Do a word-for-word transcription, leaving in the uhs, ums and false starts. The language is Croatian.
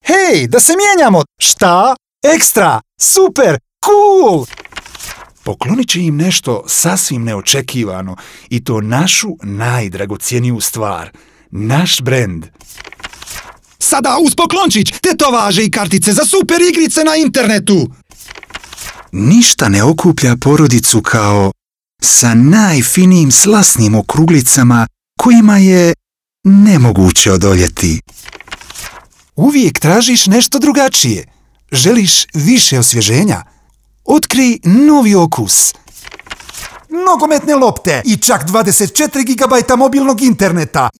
Hej, da se mijenjamo! Šta? Ekstra! Super! Cool! Poklonit će im nešto sasvim neočekivano i to našu najdragocjeniju stvar. Naš brend. Sada uz poklončić, tetovaže i kartice za super igrice na internetu. Ništa ne okuplja porodicu kao sa najfinijim slasnim okruglicama kojima je nemoguće odoljeti. Uvijek tražiš nešto drugačije. Želiš više osvježenja? Otkrij novi okus. Nogometne lopte i čak dvadeset četiri gigabajta mobilnog interneta.